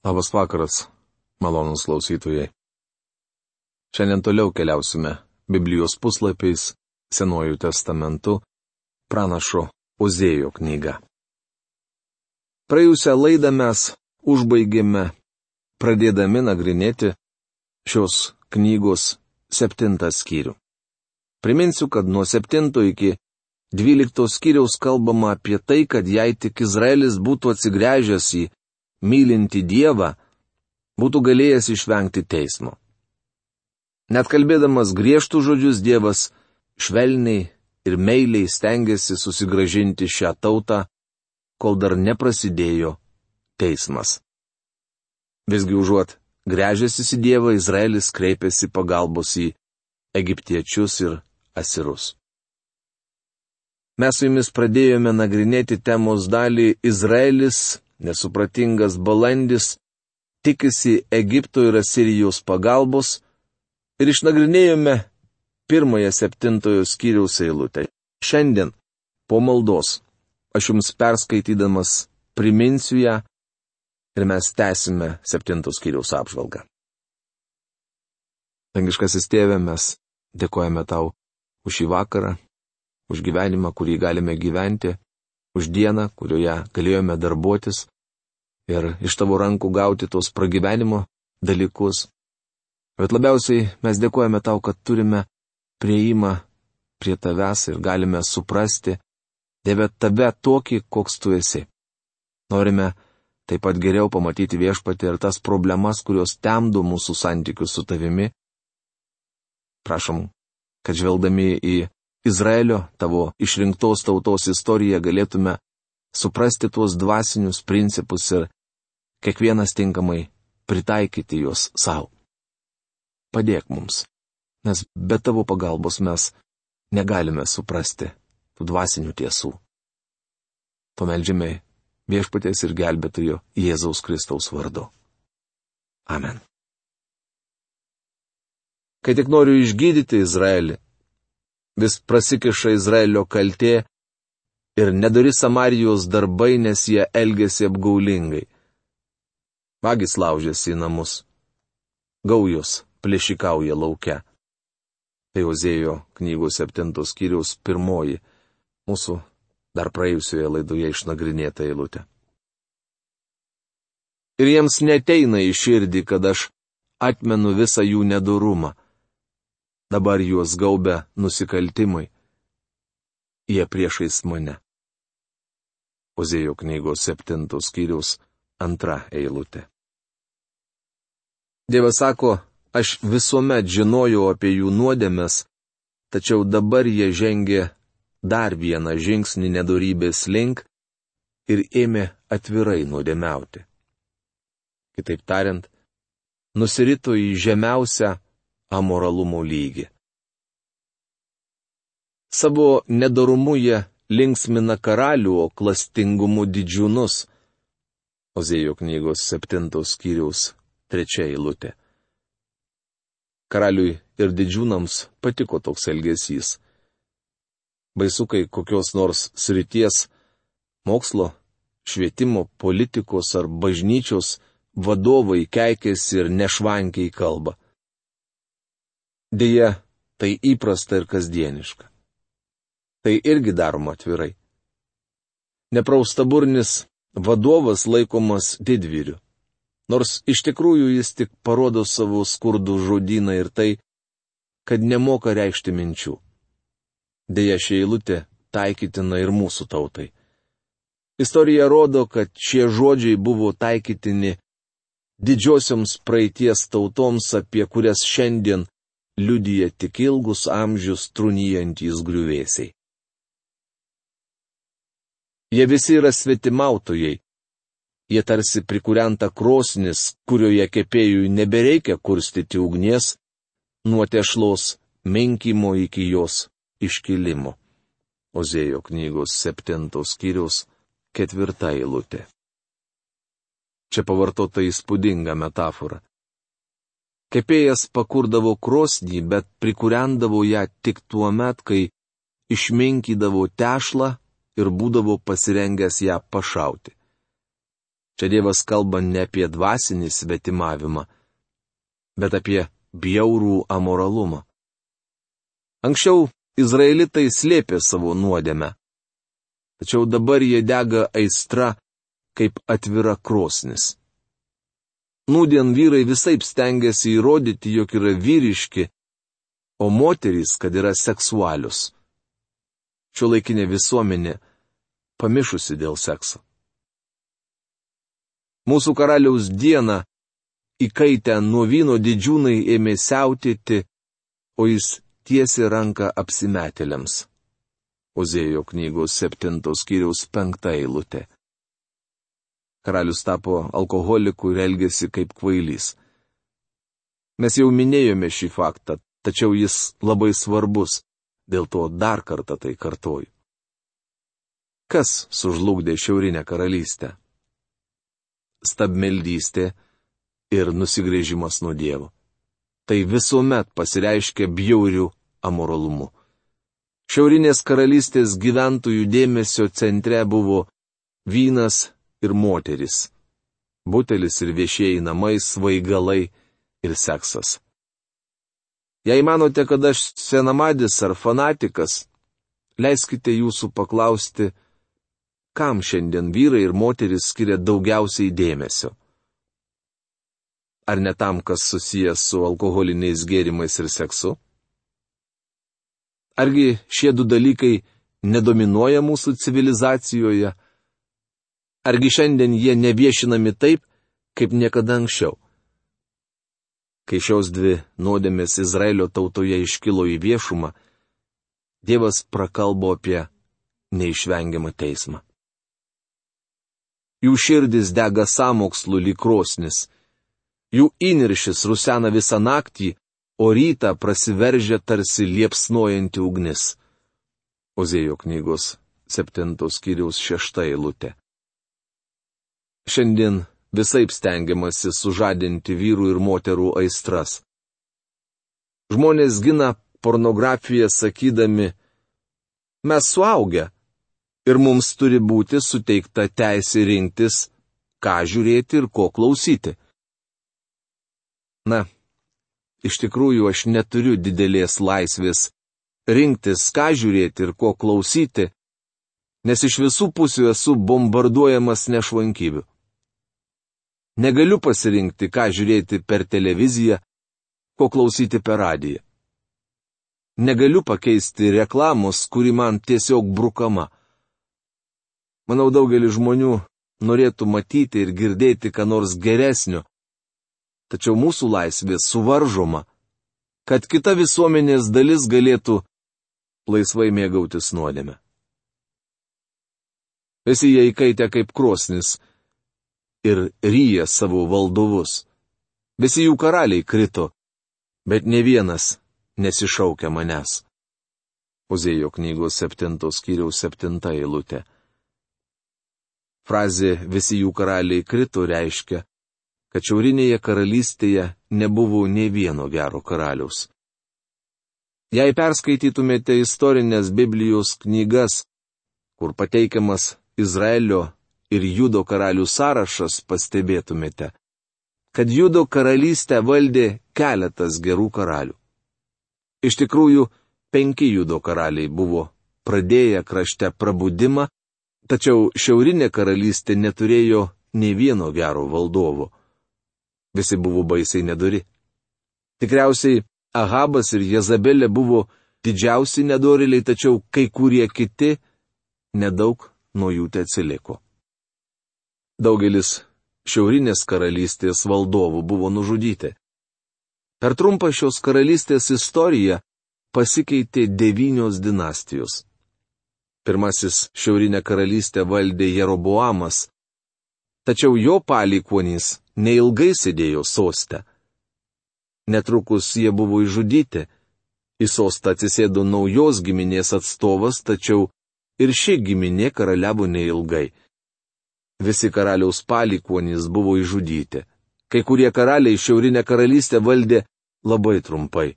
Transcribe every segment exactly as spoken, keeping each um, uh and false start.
Labas vakaras, malonūs klausytojai. Šiandien toliau keliausime Biblijos puslapiais Senuoju testamentu, pranašo Ozėjo knyga. Praėjusią laidą mes užbaigėme pradėdami nagrinėti šios knygos septintą skyrių. Priminsiu, kad nuo septinto iki dvylikto skyriaus kalbama apie tai, kad jei tik Izraelis būtų atsigręžęs į mylinti Dievą, būtų galėjęs išvengti teismo. Net kalbėdamas griežtų žodžius, Dievas švelniai ir meiliai stengiasi susigrąžinti šią tautą, kol dar neprasidėjo teismas. Visgi užuot gręžęsis į Dievą, Izraelis kreipėsi pagalbos į egiptiečius ir asirus. Mes su jumis pradėjome nagrinėti temos dalį Izraelis, nesupratingas balandis, tikisi Egipto ir Asirijos pagalbos ir išnagrinėjome pirmąją septintojo skyriaus eilutę. Šiandien, po maldos, aš jums perskaitydamas priminsiu ją ir mes tęsime septintos skyriaus apžvalgą. Dangiškasis Tėve, mes dėkojame tau už šį vakarą, už gyvenimą, kurį galime gyventi, už dieną, kurioje galėjome darbuotis ir iš tavo rankų gauti tos pragyvenimo dalykus. Bet labiausiai mes dėkojame tau, kad turime prieimą prie tavęs ir galime suprasti, Dieve, tave tokį, koks tu esi. Norime taip pat geriau pamatyti Viešpatį ir tas problemas, kurios temdo mūsų santykius su tavimi. Prašom, kad žvelgdami į Izraelio, tavo išrinktos tautos istoriją, galėtume suprasti tuos dvasinius principus ir kiekvienas tinkamai pritaikyti juos savo. Padėk mums, nes be tavo pagalbos mes negalime suprasti tų dvasinių tiesų. To meldžiame Viešpaties ir gelbėtojo Jėzaus Kristaus vardu. Amen. Kai tik noriu išgydyti Izraelį, vis prasikiša Izraelio kaltė ir nedori Samarijos darbai, nes jie elgėsi apgaulingai. Vagys laužėsi į namus, gaujos plėšikauja lauke. Tai Ozėjo knygos septintos skyriaus pirmoji, mūsų dar praėjusioje laidoje išnagrinėta eilutė. Ir jiems neteina į širdį, kad aš atmenu visą jų nedorumą. Dabar juos gaubia nusikaltimai. Jie priešais mane. Ozėjo knygos septintos skyriaus antra eilutė. Dievas sako, aš visuomet žinojau apie jų nuodėmes, tačiau dabar jie žengė dar vieną žingsnį nedorybės link ir ėmė atvirai nuodėmiauti. Kitaip tariant, nusirito į žemiausią amoralumo lygį. Savo nedorumu jie linksmina karalių, o klastingumu didžiūnus. Ozėjo knygos septintos skyriaus trečia eilutė. Karaliui ir didžiūnams patiko toks elgesys. Baisu, kai kokios nors srities, mokslo, švietimo, politikos ar bažnyčios vadovai keikiasi ir nešvankiai kalba. Deja, tai įprasta ir kasdieniška. Tai irgi daroma atvirai. Nepraustaburnis vadovas laikomas didvyriu, nors iš tikrųjų jis tik parodo savo skurdų žodyną ir tai, kad nemoka reikšti minčių. Deja, ši eilutė taikytina ir mūsų tautai. Istorija rodo, kad šie žodžiai buvo taikytini didžiosioms praeities tautoms, apie kurias šiandien liudija tik ilgus amžius trūnijantys griuvėsiai. Jie visi yra svetimautojai. Jie tarsi prikūrenta krosnis, kurioje kepėjui nebereikia kurstyti ugnies, nuo tešlos menkimo iki jos iškilimo. Ozėjo knygos septintos skyriaus ketvirta eilutė. Čia pavartota įspūdinga metafora. Kepėjas pakurdavo krosnį, bet prikūrendavo ją tik tuo met, kai išmenkydavo tešlą ir būdavo pasirengęs ją pašauti. Čia Dievas kalba ne apie dvasinį svetimavimą, bet apie bjaurų amoralumą. Anksčiau izraelitai slėpė savo nuodėmę, tačiau dabar jie dega aistra kaip atvira krosnis. Nūdien vyrai visaip stengiasi įrodyti, jog yra vyriški, o moterys, kad yra seksualius. Šiuolaikinė visuomenė pamišusi dėl sekso. Mūsų karaliaus dieną įkaitę nuo vyno didžiūnai ėmė siautėti, o jis tiesė ranką apsimetėliams. Ozėjo knygos septintos skyriaus penkta eilutė. Karalius tapo alkoholiku ir elgėsi kaip kvailys. Mes jau minėjome šį faktą, tačiau jis labai svarbus, dėl to dar kartą tai kartoju. Kas sužlugdė šiaurinę karalystę? Stabmeldystė ir nusigręžimas nuo Dievo. Tai visuomet pasireiškia bjauriu amoralumu. Šiaurinės karalystės gyventojų dėmesio centre buvo vynas ir moteris, butelis ir viešieji namai, svaigalai ir seksas. Jei manote, kad aš senamadis ar fanatikas, leiskite jūsų paklausti, kam šiandien vyrai ir moteris skiria daugiausiai dėmesio. Ar ne tam, kas susijęs su alkoholiniais gėrimais ir seksu? Argi šie du dalykai nedominuoja mūsų civilizacijoje? Argi šiandien jie neviešinami taip, kaip niekada anksčiau? Kai šios dvi nuodėmės Izraelio tautoje iškilo į viešumą, Dievas prakalbo apie neišvengiamą teismą. Jų širdis dega sąmokslu lyg krosnis, jų įniršis rusena visą naktį, o rytą prasiveržia tarsi liepsnojanti ugnis. Ozėjo knygos septintos skyriaus šešta eilutė. Šiandien visaip stengiamasi sužadinti vyrų ir moterų aistras. Žmonės gina pornografiją sakydami, mes suaugę ir mums turi būti suteikta teisė rinktis, ką žiūrėti ir ko klausyti. Na, iš tikrųjų aš neturiu didelės laisvės rinktis, ką žiūrėti ir ko klausyti, nes iš visų pusių esu bombarduojamas nešvankybių. Negaliu pasirinkti, ką žiūrėti per televiziją, ko klausyti per radiją. Negaliu pakeisti reklamos, kuri man tiesiog brukama. Manau, daugelis žmonių norėtų matyti ir girdėti ką nors geresnio, tačiau mūsų laisvė suvaržoma, kad kita visuomenės dalis galėtų laisvai mėgautis nuodėme. Visi jie įkaitę kaip krosnis ir ryja savo valdovus. Visi jų karaliai krito, bet ne vienas nesišaukia manęs. Ozėjo knygos septintos skyriaus septinta eilutė. Frazė visi jų karaliai krito reiškia, kad šiaurinėje karalystėje nebuvo nė vieno gero karaliaus. Jei perskaitytumėte istorinės Biblijos knygas, kur pateikiamas Izraelio ir Judo karalių sąrašas, pastebėtumėte, kad Judo karalystę valdė keletas gerų karalių. Iš tikrųjų, penki Judo karaliai buvo pradėję krašte prabudimą, tačiau šiaurinė karalystė neturėjo nė vieno gero valdovo. Visi buvo baisiai nedori. Tikriausiai Ahabas ir Jezabelė buvo didžiausi nedorėliai, tačiau kai kurie kiti nedaug nuo jų te atsiliko. Daugelis šiaurinės karalystės valdovų buvo nužudyti. Per trumpą šios karalystės istoriją pasikeitė devynios dinastijos. Pirmasis šiaurinę karalystę valdė Jeroboamas, tačiau jo palikuonys neilgai sėdėjo soste. Netrukus jie buvo išžudyti. Į sostą atsisėdo naujos giminės atstovas, tačiau ir ši giminė karaliavo neilgai. Visi karaliaus palikuonys buvo išžudyti. Kai kurie karaliai šiaurinę karalystę valdė labai trumpai.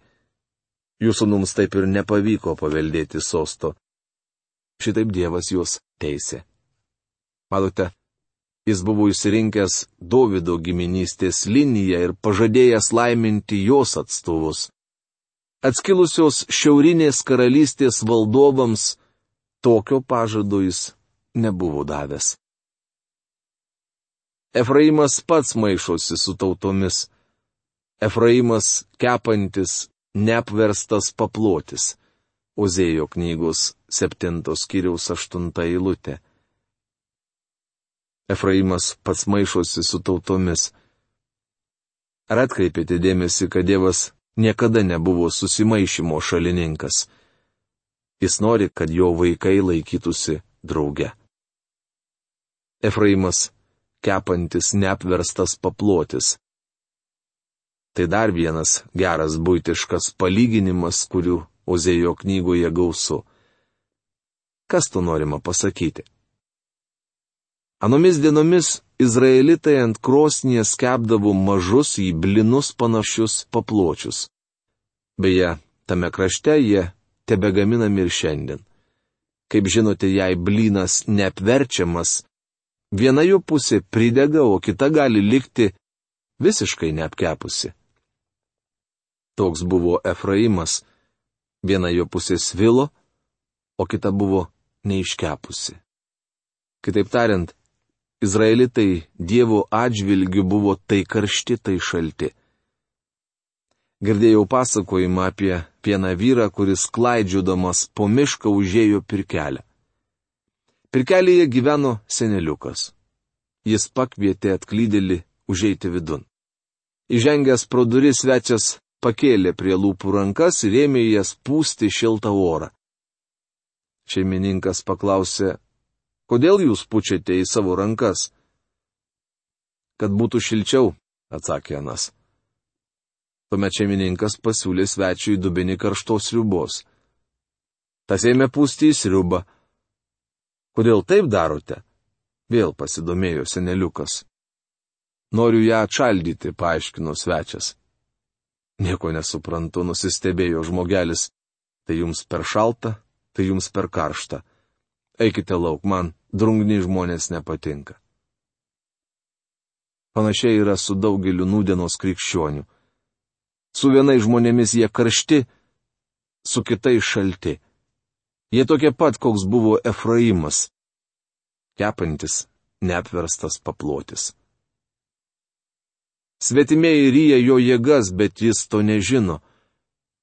Jų sūnums taip ir nepavyko paveldėti sosto. Šitaip Dievas juos teisė. Matote, Jis buvo įsirinkęs Dovydo giminystės liniją ir pažadėjęs laiminti jos atstovus. Atskilusios šiaurinės karalystės valdovams tokio pažado jis nebuvo davęs. Efraimas pats maišosi su tautomis. Efraimas kepantis, neapverstas paplotis. Ozėjo knygos septintos skyriaus aštunta eilutė. Efraimas pats maišosi su tautomis. Ar atkreipėte dėmesį, kad Dievas niekada nebuvo susimaišymo šalininkas? Jis nori, kad jo vaikai laikytųsi drauge. Efraimas kepantis, neapverstas paplotis. Tai dar vienas geras buitiškas palyginimas, kurių Ozėjo knygoje gausu. Kas to norima pasakyti? Anomis dienomis izraelitai ant krosnies kepdavo mažus į blinus panašius papločius. Beje, tame krašte jie tebegaminami ir šiandien. Kaip žinote, jei blynas neapverčiamas, viena jo pusė pridega, o kita gali likti visiškai neapkepusi. Toks buvo Efraimas. Viena jo pusė svilo, o kita buvo neiškepusi. Kitaip tariant, izraelitai Dievo atžvilgiu buvo tai karšti, tai šalti. Girdėjau pasakojimą apie vieną vyrą, kuris klaidžiodamas po mišką užėjo pirkelę. Pirkelėje gyveno seneliukas. Jis pakvietė atklydėlį užeiti vidun. Įžengęs pro duris, svečias pakėlė prie lūpų rankas ir ėmė jas pūsti šiltą orą. Šeimininkas paklausė, kodėl jūs pučiate į savo rankas? Kad būtų šilčiau, atsakė anas. Tuomet šeimininkas pasiūlė svečiui dubenį karštos sriubos. Tas ėmė pūsti į sriubą. Kodėl taip darote? Vėl pasidomėjo seneliukas. Noriu ją atšaldyti, paaiškino svečias. Nieko nesuprantu, nusistebėjo žmogelis. Tai jums per šalta, tai jums per karšta. Eikite lauk, man drungni žmonės nepatinka. Panašiai yra su daugeliu nūdienos krikščionių. Su vienais žmonėmis jie karšti, su kitais šalti. Jie tokie pat, koks buvo Efraimas. Kepantis, neapverstas paplotis. Svetimieji ryja jo jėgas, bet jis to nežino.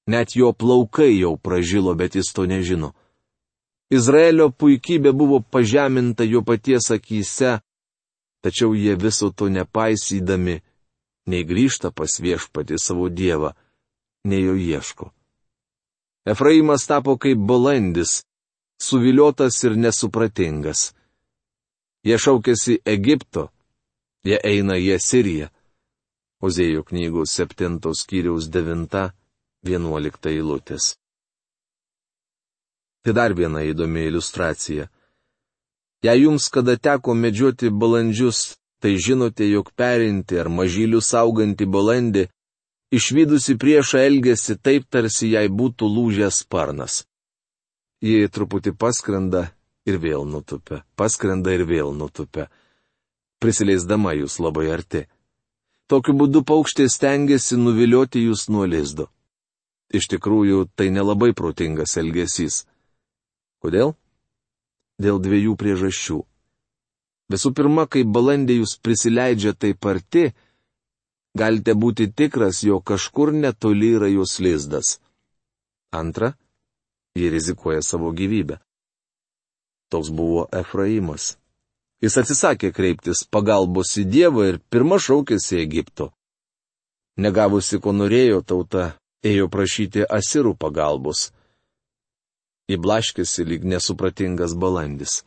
Net jo plaukai jau pražilo, bet jis to nežino. Izraelio puikybė buvo pažeminta jo paties akyse, tačiau jie viso to nepaisydami, nei grįžta pas viešpatį savo Dievą, nei jo ieško. Efraimas tapo kaip balandis, suviliotas ir nesupratingas. Jie šaukėsi Egipto, jie eina į Asiriją. Ozėjo knygos septintos skyriaus devinta, vienuolikta eilutės. Tai dar viena įdomi iliustracija. Jei jums kada teko medžioti balandžius, tai žinote, jog perinti ar mažylių saugantį balandį, išvydusi priešą elgesi taip, tarsi jai būtų lūžęs sparnas. Jie truputį paskrenda ir vėl nutupia, paskrenda ir vėl nutupia, prisileisdama jūs labai arti. Tokiu būdu paukštė stengiasi nuvilioti jūs nuo lizdo. Iš tikrųjų, tai nelabai protingas elgesys. Kodėl? Dėl dviejų priežasčių. Visų pirma, kai balandė jūs prisileidžia taip arti, galite būti tikras, jog kažkur netoli yra jos lizdas. Antra, jie rizikuoja savo gyvybę. Toks buvo Efraimas. Jis atsisakė kreiptis pagalbos į Dievą ir pirma šaukėsi Egipto. Negavusi, ko norėjo, tauta ėjo prašyti asirų pagalbos. Įblaškėsi lyg nesupratingas balandis.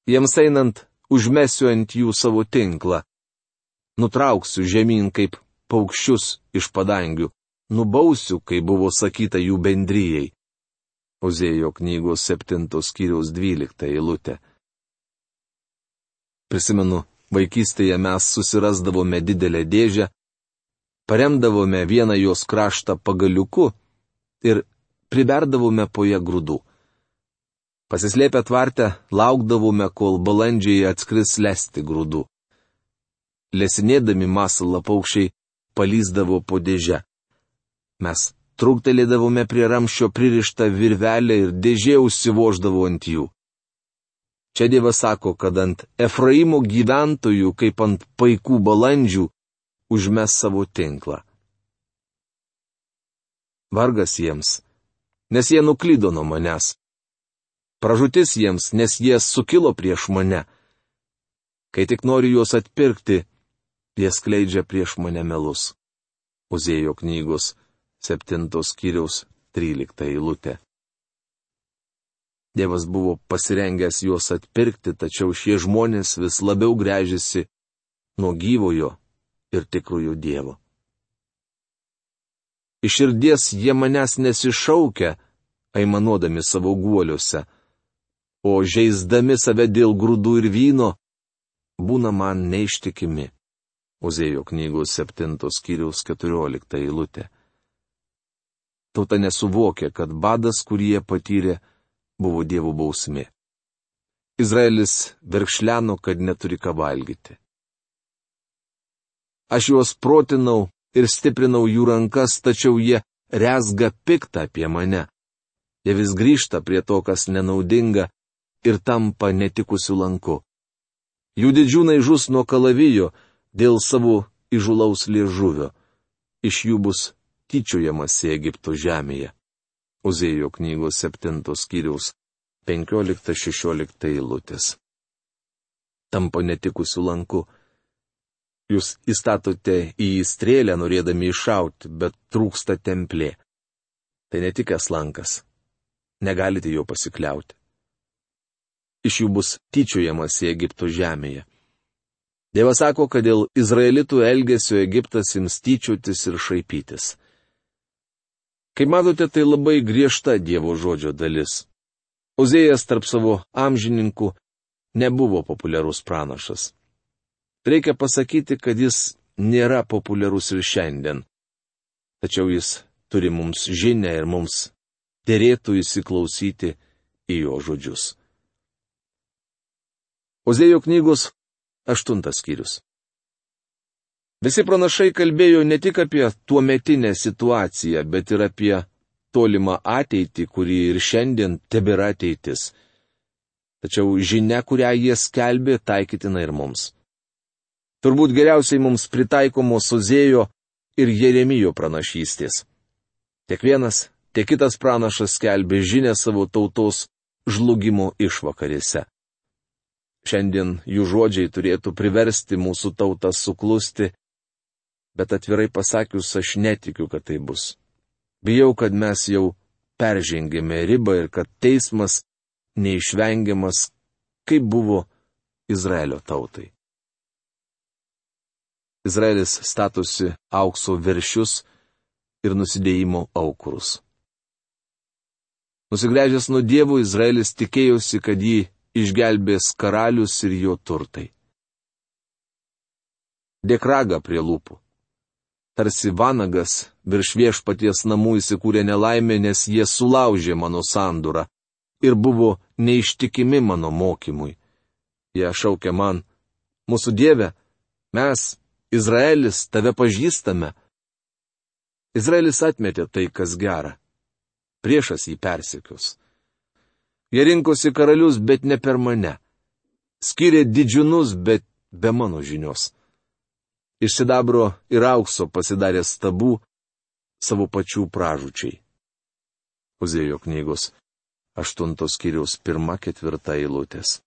Jiems einant, užmesiu ant jų savo tinklą. Nutrauksiu žemyn kaip paukščius iš padangių. Nubausiu, kai buvo sakyta jų bendrijai. Ozėjo knygos septintos skyriaus dvylikta eilutė. Prisimenu, vaikystėje mes susirasdavome didelę dėžę, paremdavome vieną jos kraštą pagaliuku ir priberdavome po ją grūdų. Pasislėpę tvarte, laukdavome, kol balandžiai atskris lesti grūdų. Lesinėdami masalą paukščiai palyzdavo po dėžę. Mes truktelėdavome prie ramščio pririštą virvelę ir dėžė užsivoždavo ant jų. Čia Dievas sako, kad ant Efraimo gyventojų, kaip ant paikų balandžių, užmes savo tinklą. Vargas jiems, nes jie nuklydo nuo manęs. Pražūtis jiems, nes jie sukilo prieš mane. Kai tik noriu juos atpirkti, jie skleidžia prieš mane melus. Ozėjo knygos septintos skyriaus trylikta eilutė. Dievas buvo pasirengęs juos atpirkti, tačiau šie žmonės vis labiau gręžiasi nuo gyvojo ir tikrojo Dievo. Iš širdies jie manęs nesišaukia, aimanuodami savo guoliuose, o žeisdami save dėl grūdų ir vyno, būna man neištikimi. Ozėjo knygos septintos skyriaus keturiolikta eilutė. Tauta nesuvokia, kad badas, kurį jie patyrė, buvo Dievo bausmė. Izraelis verkšleno, kad neturi ką valgyti. Aš juos protinau ir stiprinau jų rankas, tačiau jie rezga piktą apie mane. Jie vis grįžta prie to, kas nenaudinga, ir tampa netikusiu lanku. Jų didžiūnai žus nuo kalavijo dėl savo įžulaus liežuvio. Iš jų bus tyčiojamasi Egipto žemėje. Ozėjo knygos septintos skyriaus penkiolikta šešiolikta eilutės. Tampa netikusiu lanku. Jūs įstatote į jį strėlę, norėdami iššauti, bet trūksta templė. Tai netikęs lankas. Negalite jo pasikliauti. Iš jų bus tyčiojamasi Egipto žemėje. Dievas sako, kad dėl izraelitų elgesio Egiptas ims tyčiotis ir šaipytis. Kaip matote, tai labai griežta Dievo žodžio dalis. Ozėjas tarp savo amžininkų nebuvo populiarus pranašas. Reikia pasakyti, kad jis nėra populiarus ir šiandien. Tačiau jis turi mums žinią ir mums derėtų įsiklausyti į jo žodžius. Ozėjo knygos aštuntas skyrius. Visi pranašai kalbėjo ne tik apie tuometinę situaciją, bet ir apie tolimą ateitį, kuri ir šiandien tebėra ateitis. Tačiau žinia, kurią jie skelbė, taikytina ir mums. Turbūt geriausiai mums pritaikomos Ozėjo ir Jeremijo pranašystės. Tiek vienas, tiek kitas pranašas skelbė žinę savo tautos žlugimo išvakarėse. Šiandien jų žodžiai turėtų priversti mūsų tautą suklusti, bet atvirai pasakius, aš netikiu, kad tai bus. Bijau, kad mes jau peržengėme ribą ir kad teismas neišvengiamas, kaip buvo Izraelio tautai. Izraelis statosi aukso veršius ir nusidėjimo aukurus. Nusigręžęs nuo Dievo, Izraelis tikėjosi, kad jį išgelbės karalius ir jo turtai. Dėk ragą prie lūpų. Tarsi vanagas virš viešpaties namų įsikūrė nelaimė, nes jie sulaužė mano sandūrą ir buvo neištikimi mano mokymui. Jie šaukė man, mūsų Dieve, mes, Izraelis, tave pažįstame. Izraelis atmetė tai, kas gera. Priešas jį persekios. Jie rinkosi karalius, bet ne per mane. Skyrė didžiūnus, bet be mano žinios. Iš sidabro ir aukso pasidarė stabų savo pačių pražūčiai. Ozėjo knygos aštuntos skyriaus pirma ketvirta eilutės.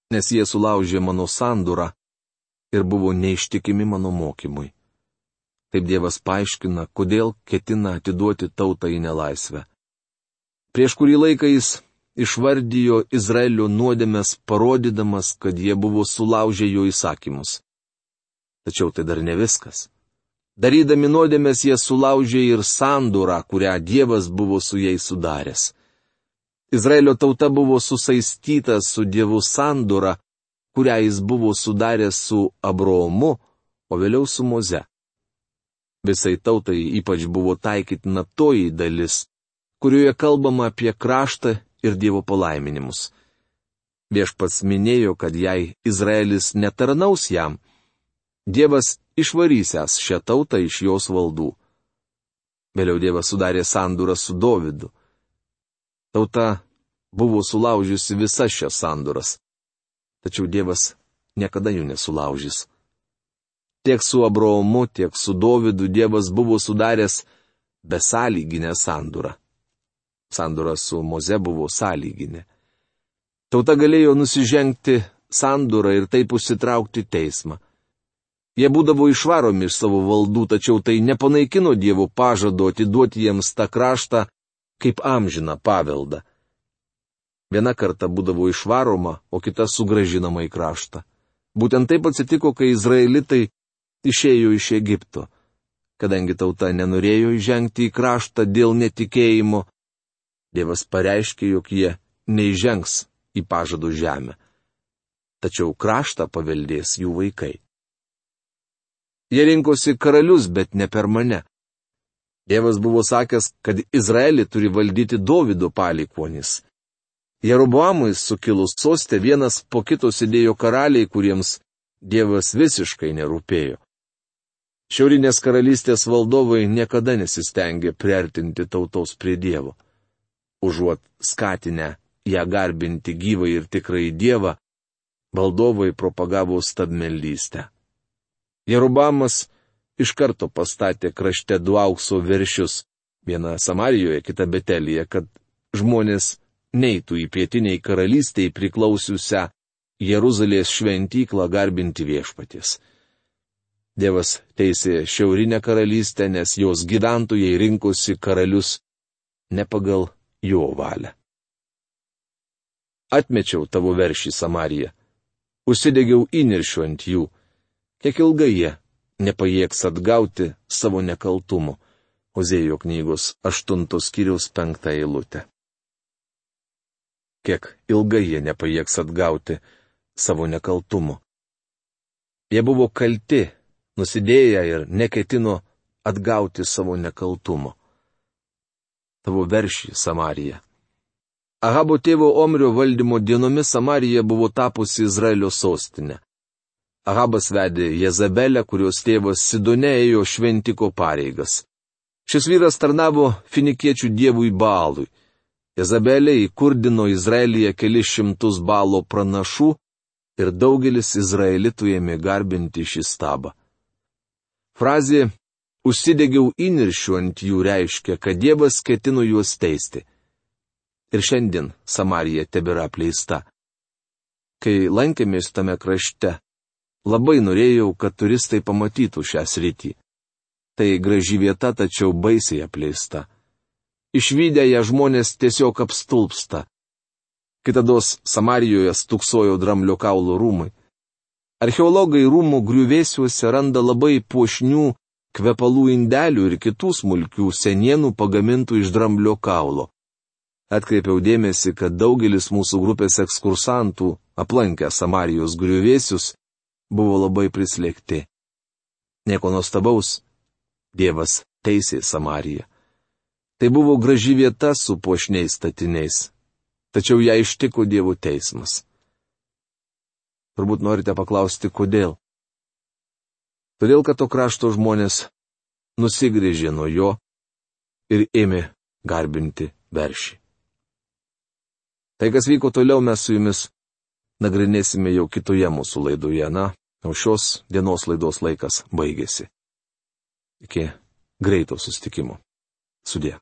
Nes jie sulaužė mano sandūrą ir buvo neištikimi mano mokymui. Taip Dievas paaiškina, kodėl ketina atiduoti tautą į nelaisvę. Prieš kurį laiką jis išvardijo Izraelio nuodėmes, parodydamas, kad jie buvo sulaužę jo įsakymus. Tačiau tai dar ne viskas. Darydami nuodėmes jie sulaužė ir sandūrą, kurią Dievas buvo su jais sudaręs. Izraelio tauta buvo susaistyta su Dievu sandūra, kurią jis buvo sudaręs su Abraomu, o vėliau su Moze. Visai tautai ypač buvo taikytina toji dalis, kurioje kalbama apie kraštą, ir Dievo palaiminimus. Viešpats minėjo, kad jei Izraelis netarnaus jam, Dievas išvarysęs šią tautą iš jos valdų. Vėliau Dievas sudarė sandūrą su Dovydu. Tauta buvo sulaužiusi visas šias sandūras, tačiau Dievas niekada jų nesulaužys. Tiek su Abraomu, tiek su Dovydu Dievas buvo sudaręs besąlyginę sandūrą. Sandūra su Moze buvo sąlyginė. Tauta galėjo nusižengti sandūrą ir taip užsitraukti teismą. Jie būdavo išvaromi iš savo valdų, tačiau tai nepanaikino Dievo pažado atiduoti jiems tą kraštą kaip amžiną paveldą. Viena karta būdavo išvaroma, o kita sugrąžinama į kraštą. Būtent taip atsitiko, kai izraelitai išėjo iš Egipto. Kadangi tauta nenorėjo įžengti į kraštą dėl netikėjimo, Dievas pareiškė, jog jie neįžengs į pažadų žemę. Tačiau kraštą paveldės jų vaikai. Jie rinkosi karalius, bet ne per mane. Dievas buvo sakęs, kad Izraelį turi valdyti Dovydo palikuonys. Jeroboamui sukilus soste vienas po kito sėdėjo karaliai, kuriems Dievas visiškai nerūpėjo. Šiaurinės karalystės valdovai niekada nesistengė priartinti tautos prie Dievo. Užuot skatinę ją garbinti gyvą ir tikrąjį Dievą, valdovai propagavo stabmeldystę. Jeroboamas iš karto pastatė krašte du aukso veršius, vieną Samarijoje, kitą Betelyje, kad žmonės neitų į pietiniai karalystiai priklausiusią Jeruzalės šventyklą garbinti viešpaties. Dievas teisė šiaurinę karalystę, nes jos gyventojai rinkosi karalius ne pagal jo valią. Atmečiau tavo veršį Samariją, užsidegiau įniršiu ant jų, kiek ilgai jie nepajėgs atgauti savo nekaltumo. Ozėjo knygos aštuntos skyriaus penktą eilutę. Kiek ilgai jie nepajėgs atgauti savo nekaltumo. Jie buvo kalti, nusidėję ir neketino atgauti savo nekaltumo. Tavo veršį Samarija. Ahabo tėvo Omrio valdymo dienomis Samarija buvo tapusi Izraelio sostinė. Ahabas vedė Jezabelę, kurios tėvas Sidone ėjo šventiko pareigas. Šis vyras tarnavo finikiečių dievui Baalui. Jezabelė įkurdino Izraelyje kelis šimtus Baalo pranašų ir daugelis izraelitų ėmė garbinti šį stabą. Frazė "užsidegiau įniršiu ant jų" reiškia, kad Dievas ketino juos teisti. Ir šiandien Samarija tebėra apleista. Kai lankėmės tame krašte, labai norėjau, kad turistai pamatytų šią sritį. Tai graži vieta, tačiau baisiai apleista. Išvydę ją žmonės tiesiog apstulpsta. Kitados Samarijoje stūksojo dramblio kaulo rūmai. Archeologai rūmų griuvėsiuose randa labai puošnių kvepalų indelių ir kitų smulkių senienų pagamintų iš dramblio kaulo. Atkreipiau dėmesį, kad daugelis mūsų grupės ekskursantų, aplankę Samarijos griuvėsius, buvo labai prislėgti. Nieko nuostabaus, Dievas teisė Samariją. Tai buvo graži vieta su puošniais statiniais, tačiau ją ištiko Dievo teismas. Turbūt norite paklausti, kodėl? Todėl, kad to krašto žmonės nusigrėžė nuo jo ir ėmė garbinti veršį. Tai, kas vyko toliau, mes su jumis nagrinėsime jau kitoje mūsų laidoje, na, o šios dienos laidos laikas baigėsi. Iki greito susitikimo. Sudie.